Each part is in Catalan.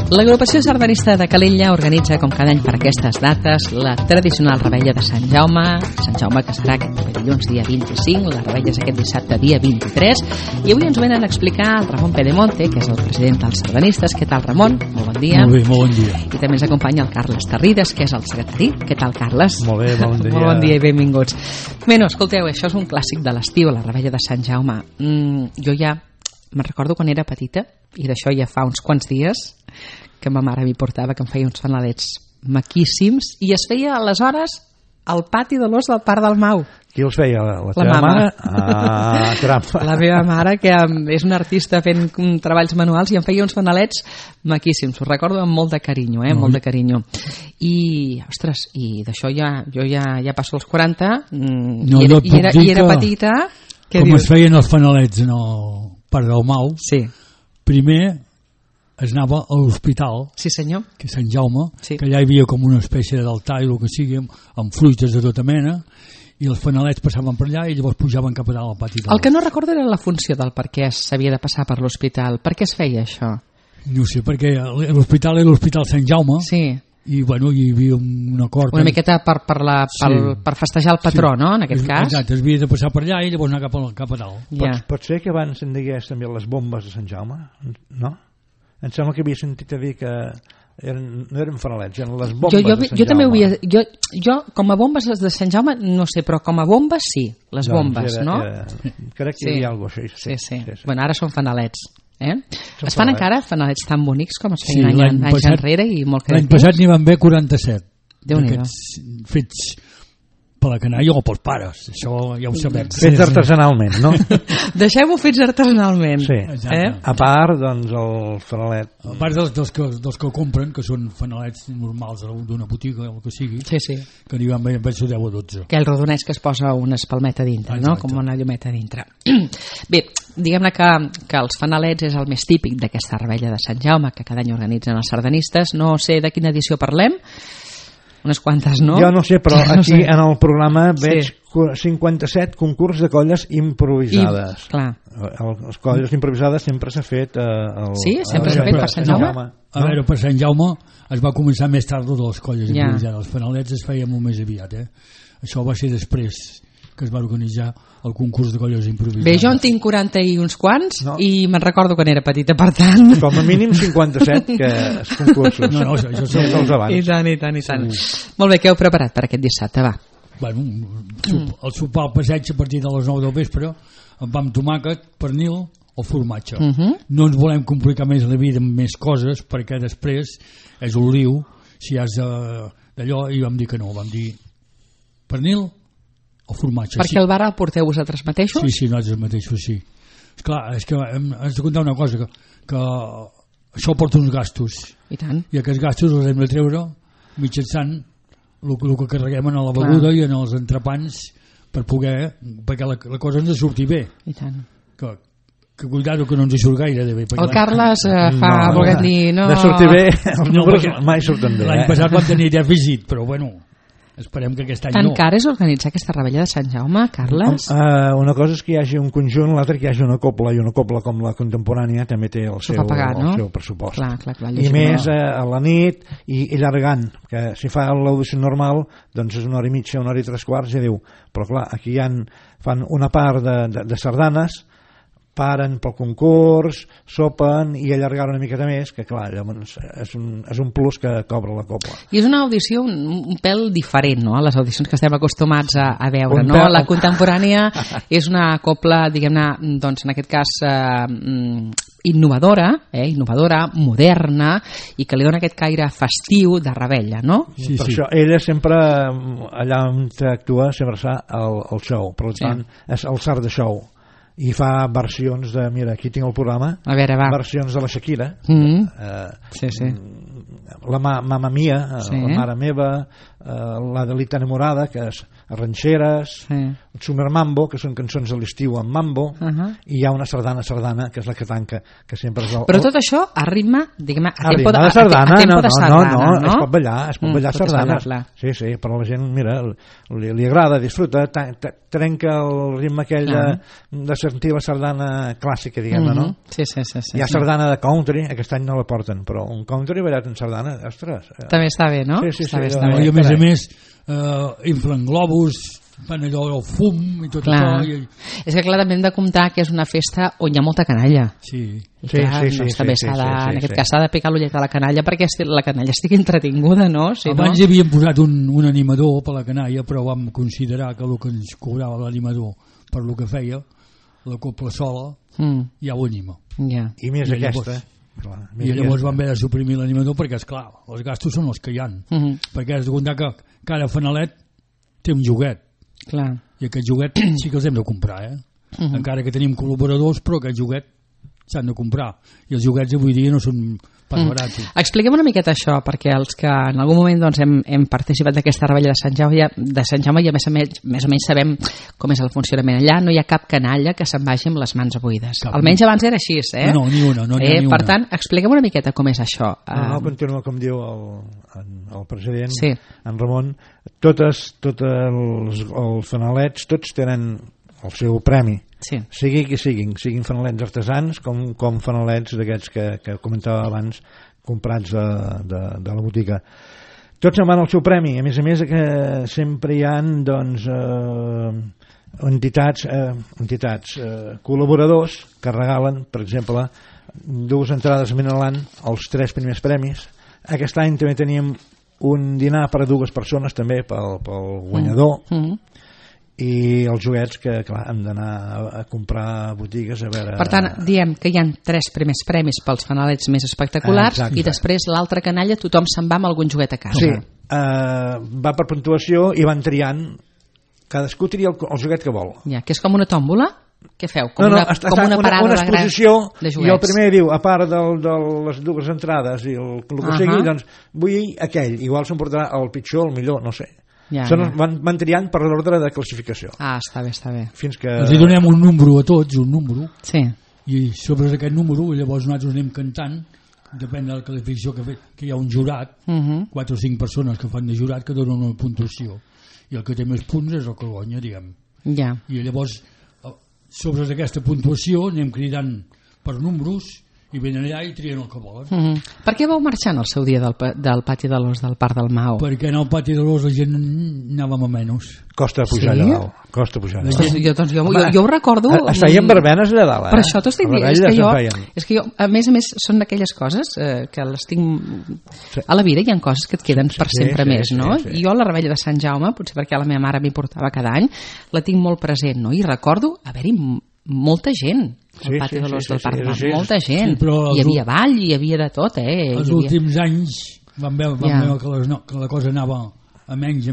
L'agrupació sardanista de Calella organitza, com cada any per aquestes dates, la tradicional revetlla de Sant Jaume, que serà aquest dilluns dia 25, la revetlla és aquest dissabte dia 23, i avui ens venen a explicar el Ramon Pedemonte, que és el president dels sardanistes. Què tal, Ramon? Molt bon dia. Molt bé, molt bon dia. I també ens acompanya el Carles Tarrides, que és el secretari. Què tal, Carles? Molt bé, bon dia. Molt bon dia i benvinguts. Bé, no, escolteu, això és un clàssic de l'estiu, la revetlla de Sant Jaume. Jo ja me'n recordo quan era petita, i d'això ja fa uns quants dies, que ma mare m'hi portava, que em feia uns fanalets maquíssims, i es feia aleshores al pati de l'Os del Parc del Mau. Qui els feia? La teva mare? Ah, trampa. La meva mare, que és una artista fent treballs manuals, i em feia uns fanalets maquíssims. Ho recordo amb molt de carinyo, molt de carinyo. I, ostres, i d'això jo ja passo els 40, i era petita. Com es feien els fanalets en el Parc del Mau, sí. Primer es anava a l'hospital, sí, senyor, que és Sant Jaume, sí. Que allà hi havia com una espècie d'altar i el que sigui, amb fruites de tota mena, i els fanalets passaven per allà i llavors pujaven cap a dalt al pati. El que no recordo era la funció del per què s'havia de passar per l'hospital. Per què es feia això? No sé, perquè l'hospital era l'Hospital Sant Jaume, sí. I bueno, hi havia un acord una miqueta per festejar el patró, sí. No? En aquest cas exacte, es havia de passar per allà i llavors anar cap a dalt. Ja. Pot ser que abans se'n digués també les bombes de Sant Jaume, no? Em sembla que havia sentit a dir que no eren fanalets, eren les bombes de Sant Jaume. També ho havia, jo com a bombes les de Sant Jaume no sé, però com a bombes sí, les bombes, no? Crec que hi havia alguna cosa així. Sí. Bueno, ara són fanalets. Es fan encara fanalets tan bonics com es feien anys enrere i molt creatius. L'any passat n'hi van haver 47 Déu-n'hi-do. Fets per la canalla o pels pares, això ja ho sabem. Fets artesanalment, no? Deixem-ho fets artesanalment. Sí. A part, doncs, el fanalet. A part dels que compren, que són fanalets normals d'una botiga o el que sigui, sí. Que n'hi van haver 10 o 12. Aquell rodonès que es posa una espalmeta dintre, no? Com una llumeta dintre. Bé, diguem-ne que els fanalets és el més típic d'aquesta revetlla de Sant Jaume, que cada any organitzen els sardanistes. No sé de quina edició parlem, unes quantes, no? Jo no sé, però aquí en el programa veig 57 concurs de colles improvisades. Clar. Les colles improvisades sempre s'ha fet sí, sempre s'ha fet per Sant Jaume. A veure, per Sant Jaume es va començar més tard de les colles improvisades. Els fanalets es feien molt més aviat, Això va ser després que es va organitzar el concurs de colles improvisades. Bé, jo en tinc 40 i uns quants, i me'n recordo quan era petita, per tant. Com a mínim 57 que els concursos. No, això són els abans. I tant. Molt bé, què heu preparat per aquest dissabte, va? Bueno, el sopar al passeig a partir de les 9 del vespre, amb tomàquet, pernil o formatge. No ens volem complicar més la vida amb més coses, perquè després és un liu, si has d'allò, i vam dir que no, vam dir pernil o formatge. Perquè el bar el porteu vosaltres mateixos? Sí, nosaltres mateixos, sí. Esclar, és que has de contar una cosa, que això porta uns gastos. I tant. I aquests gastos els hem de treure mitjançant el que carreguem en la beguda i en els entrepans perquè la cosa ens surti bé. I tant. Que cuidado que no ens hi surt gaire de bé. El Carles volguem dir... De sortir bé, els números mai surten bé. L'any passat vam tenir dèficit, però bueno... Esperem que aquest any Tan car és organitzar aquesta revetlla de Sant Jaume, Carles? Una cosa és que hi hagi un conjunt, l'altra que hi hagi una cobla, i una cobla com la contemporània també té el seu pressupost. Clar, I més a la nit i allargant, que si fa l'audició normal doncs és 1 hora i mitja, 1 hora i 3/4, ja diu, però clar, aquí fan una part de sardanes, paren pel concurs, sopen i allargar una miqueta més, que clar, és un plus que cobra la cobla. I és una audició un pèl diferent, no?, a les audicions que estem acostumats a veure, no? La contemporània és una cobla, diguem-ne, doncs en aquest cas innovadora, moderna, i que li dona aquest caire festiu de revetlla, no? Sí. Per això ella sempre, allà on actua, sempre fa el show, per tant, és el sard de show. I fa versions de, mira, aquí tinc el programa, versions de la Shakira, la Mamma Mia, la Mare Meva, la Delita Enamorada, que ranxeres, Summer Mambo, que són cançons de l'estiu en mambo, i hi ha una sardana, que és la que tanca, que sempre és Però tot això a ritme, diguem, a tempo de sardana, no, es pot ballar sardanes. Sí, però la gent, mira, li agrada, disfruta, trenca el ritme aquell de sentir la sardana clàssica, diguem-ne, no? Sí. Hi ha sardana de country, aquest any no la porten, però un country ballat en sardana, ostres. També està bé, no? Sí. I a més, inflen globus, fan allò el fum i tot això. És que clar, també hem de comptar que és una festa on hi ha molta canalla. Sí. També en aquest cas s'ha de picar l'ullet a la canalla perquè la canalla estigui entretinguda, no? Abans hi havíem posat un animador per la canalla, però vam considerar que el que ens cobrava l'animador per el que feia, la copla sola, ja ho anima. I més aquesta. I llavors vam haver de suprimir l'animador perquè, esclar, els gastos són els que hi ha. Perquè has de comptar que cada fanalet té un joguet. I aquest joguet sí que els hem de comprar, encara que tenim col·laboradors, però aquest joguet s'han de comprar, i els joguets avui dia no són pas barats. Expliquem una miqueta això, perquè els que en algun moment doncs, hem participat d'aquesta rebella de Sant Jaume i a més o menys sabem com és el funcionament allà, no hi ha cap canalla que se'n vagi amb les mans buides, almenys abans era així, No, ni una. Per tant, expliquem una miqueta com és això. Continua com diu el president, en Ramon, tots els fanalets, tots tenen el seu premi, sigui qui siguin fanalets artesans com fanalets d'aquests que comentava abans, comprats de la botiga. Tots en van al seu premi. A més que sempre hi ha entitats, col·laboradors que regalen, per exemple, 2 entrades a Minaland als 3 primers premis. Aquest any també teníem un dinar per a 2 persones també pel guanyador, i els joguets que clar, hem d'anar a comprar a botigues a veure... Per tant, diem que hi ha 3 primers premis pels fanalets més espectaculars. I després l'altra canalla tothom se'n va amb algun joguet a casa. Sí, va per puntuació i van triant, cadascú tria el joguet que vol. Que és com una tòmbola? Què feu? Com una parada una exposició, de joguets. I el primer diu, a part de les 2 entrades i el que sigui, doncs vull aquell, igual s'emportarà el pitjor, el millor, no sé. Van triant per l'ordre de classificació. Està bé. Fins que... Els donem un número a tots, sí. I sobre aquest número llavors nosaltres anem cantant, depèn de la qualificació que hi ha un jurat, 4 o 5 persones que fan de jurat que donen una puntuació, i el que té més punts és el que guanya, diguem. I llavors sobre aquesta puntuació anem cridant per números i venen allà i trien el que volen. Per què vau marxar en el seu dia del pati de l'Os del Parc del Mau? Perquè en el pati de l'Os la gent anàvem a menys. Costa pujar allà dalt. Costa pujar allà dalt. Jo ho recordo... Es feien verbenes allà dalt. Per això t'ho estic dient. És que jo, a més, són d'aquelles coses que les tinc... A la vida hi ha coses que et queden per sempre més, no? I jo la rebella de Sant Jaume, potser perquè la meva mare m'hi portava cada any, la tinc molt present, no? I recordo haver-hi molta gent al pati de l'Os del Parc del Mau, molta gent, hi havia ball, hi havia de tot, Els últims anys vam veure que la cosa anava a menys,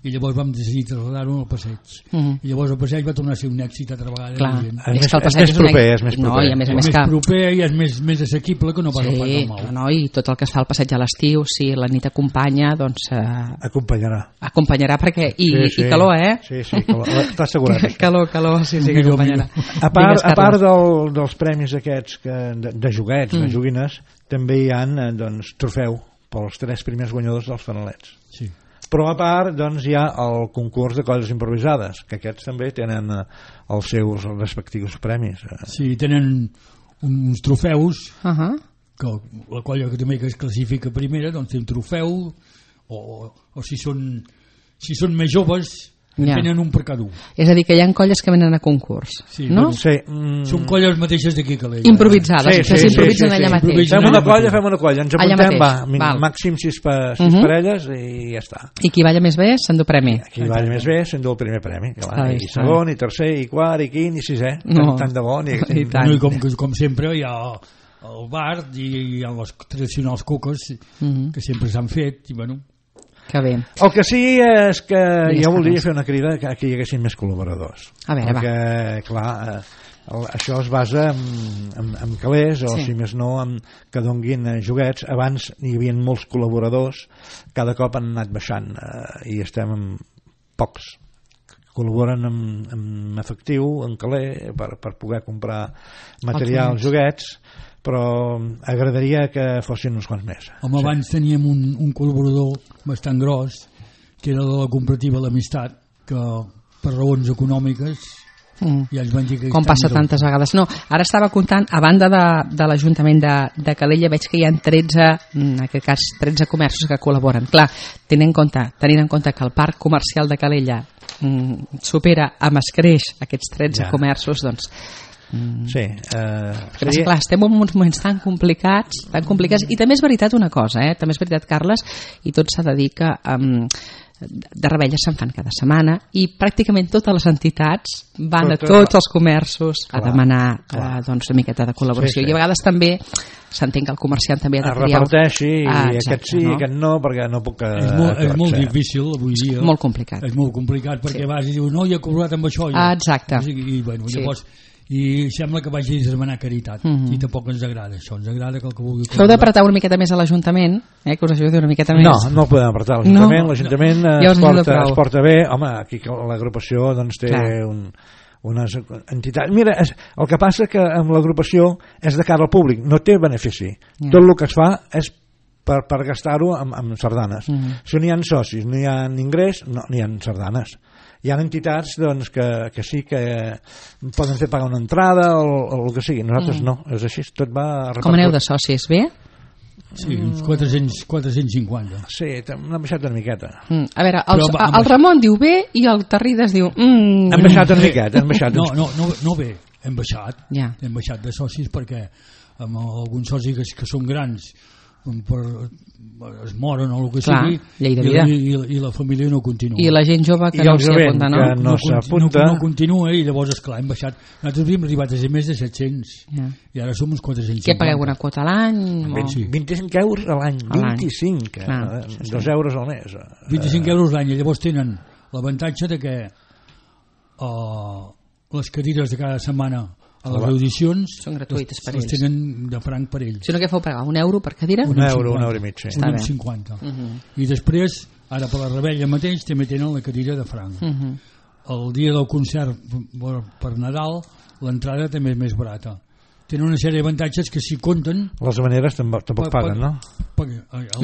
i llavors vam decidir traslladar-ho al passeig. I llavors el passeig va tornar a ser un èxit altra vegada. Clar, és més proper. No, i a més més proper i és més assequible que no pas el Parc del Mau. No, i tot el que es fa al passeig a l'estiu, si la nit acompanya, doncs... Acompanyarà perquè... I calor, Sí, calor. Està assegurat. Calor, sí, que acompanyarà. A part dels premis aquests de joguets, de joguines, també hi ha trofeu pels 3 primers guanyadors dels fanalets. Sí. Però a part hi ha el concurs de colles improvisades, que aquests també tenen els seus respectius premis. Sí, tenen uns trofeus que la colla que també es classifica primera doncs té un trofeu, o si són més joves tenen un per cada un. És a dir, que hi ha colles que venen a concurs, no? Sí. Són colles mateixes d'aquí que l'ella. Improvisades, que s'improvisen allà mateix. Fem una colla, ens apuntem, màxim 6 parelles i ja està. I qui balla més bé s'endú premi. Qui balla més bé s'endú el primer premi. I segon, i tercer, i quart, i quint, i sisè. Tant de bon. I com sempre hi ha el bar i hi ha les tradicionals coques que sempre s'han fet, i bueno... Que bé. El que sí és que jo voldria fer una crida que hi haguessin més col·laboradors. Perquè, clar, això es basa en calés, o si més no, que donguin joguets. Abans hi havia molts col·laboradors, cada cop han anat baixant, i estem pocs col·laboren amb efectiu, en caler, per poder comprar materials, joguets, però agradaria que fossin uns quants més. Home, abans teníem un col·laborador bastant gros, que era de la cooperativa L'Amistat, que per raons econòmiques ja ens van dir que... Com passa tantes vegades. No, ara estava comptant, a banda de l'Ajuntament de Calella, veig que hi ha 13, en aquest cas 13 comerços que col·laboren. Clar, tenint en compte que el parc comercial de Calella supera amb escreix aquests 13 comerços, doncs... Sí. Clar, estem en uns moments tan complicats, i també és veritat una cosa, també és veritat, Carles, i tot s'ha de dir que de revetlles se'n fan cada setmana i pràcticament totes les entitats van a tots els comerços a demanar doncs una miqueta de col·laboració, i a vegades també s'entén que el comerciant també ha de triar, reparteixi, aquest sí, aquest no, perquè no puc... És molt difícil avui dia, molt complicat, és molt complicat perquè vas i dius, no, ja he cobrat amb això, exacte, i bueno, llavors i sembla que vagi a demanar caritat i tampoc ens agrada això, ens agrada que el que vulgui heu d'apretar una miqueta més a l'Ajuntament, que us ajudi una miqueta més. No podem apretar l'Ajuntament, es porta bé, home, aquí l'agrupació doncs té unes entitats, mira, el que passa que amb l'agrupació és de cara al públic, no té benefici, tot el que es fa és per gastar-ho amb sardanes, si no hi ha socis, no hi ha ingrés, no hi ha sardanes. Hi ha entitats doncs, que sí que poden fer pagar una entrada o el que sigui, nosaltres no, és així, tot va repartit. Com aneu de socis, bé? Sí, uns 450. Sí, n'hem baixat una miqueta. A veure, el Ramon diu bé i el Tarrides diu... Hem baixat una miqueta, hem baixat. No bé, hem baixat de socis perquè amb alguns socis que són grans es moren o el que sigui, i la família no continua, i la gent jove que no s'hi apunta, no continua, i llavors esclar, hem baixat. Nosaltres havíem arribat a ser més de 700 i ara som uns 450. Què pagueu, una quota a l'any? 25 euros a l'any, 25 2 euros al mes, 25 euros l'any, i llavors tenen l'avantatge de que les cadires de cada setmana a les audicions són gratuïtes per ells, tenen de franc per ells. Si no, què feu pagar? €1 per cadira? €1 i mig, sí. 1,50. I després, ara per la Rebella mateix, també tenen la cadira de franc. El dia del concert per Nadal, l'entrada també és més barata. Tenen una sèrie d'avantatges que si compten... Les habaneres tampoc paguen, no?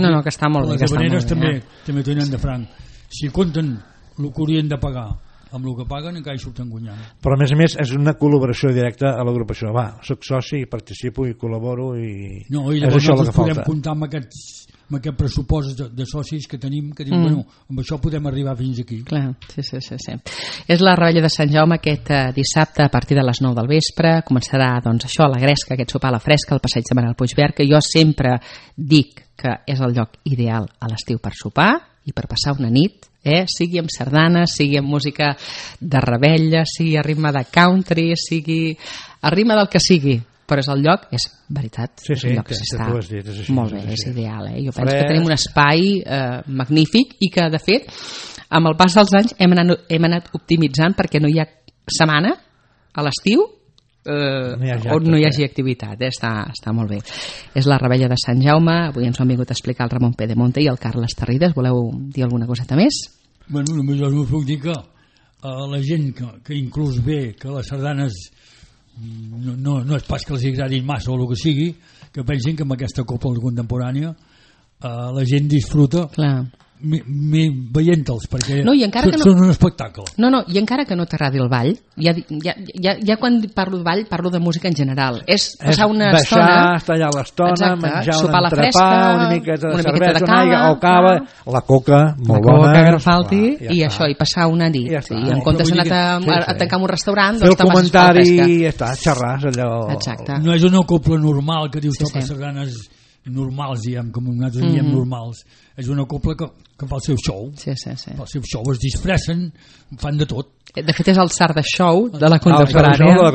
No, que està molt bé. Les habaneres també tenen de franc. Si compten el que haurien de pagar amb el que paguen encara hi surten guanyant. Però a més és una col·laboració directa a l'agrupació. Va, soc soci, participo i col·laboro i llavors nosaltres podem comptar amb aquest pressupost de socis que tenim, que diu, bueno, amb això podem arribar fins aquí. Clar, sí. És la Rebella de Sant Jaume aquest dissabte a partir de les 9 del vespre. Començarà doncs això, a la Gresca, aquest sopar a la fresca, al passeig de Manel Puigverd, que jo sempre dic que és el lloc ideal a l'estiu per sopar i per passar una nit, sigui amb sardanes, sigui amb música de revetlla, sigui a ritme de country, sigui a ritme del que sigui, però és el lloc, és veritat, és un lloc que s'està molt bé, és ideal. Jo penso que tenim un espai magnífic i que, de fet, amb el pas dels anys hem anat optimitzant perquè no hi ha setmana a l'estiu on no hi hagi activitat, està molt bé. És la Rebella de Sant Jaume. Avui ens ho han vingut a explicar el Ramon Pedemonte i el Carles Tarrides. Voleu dir alguna coseta més? Bueno, només us puc dir que la gent que inclús ve que les sardanes no és pas que els agradin massa o el que sigui, que pensin que amb aquesta copla contemporània la gent disfruta veient-los, perquè són un espectacle. No, i encara que no t'agradi el ball, ja quan parlo de ball parlo de música en general, és passar una estona, estar allà l'estona, menjar un entrepà, una miqueta de cervesa, una aigua o cava, la coca molt bona, que no falti, i això, i passar una nit, i en comptes d'anar a tancar un restaurant, fer el comentari i xerrar allò. No és una copla normal que dius toques sardanes normals, diguem, com nosaltres diem normals. És una copla que fa el seu show. Sí. Fa el seu show, es disfressen, fan de tot. De fet, és el Sarda Show de la contemporània.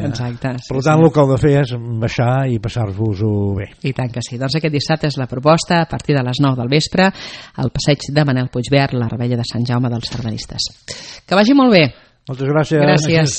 Exacte. Per tant, el que heu de fer és baixar i passar-vos-ho bé. I tant que sí. Doncs aquest dissabte és la proposta a partir de les 9 del vespre al passeig de Manel Puigverd, la Rebella de Sant Jaume dels Sardanistes. Que vagi molt bé. Moltes gràcies. Gràcies.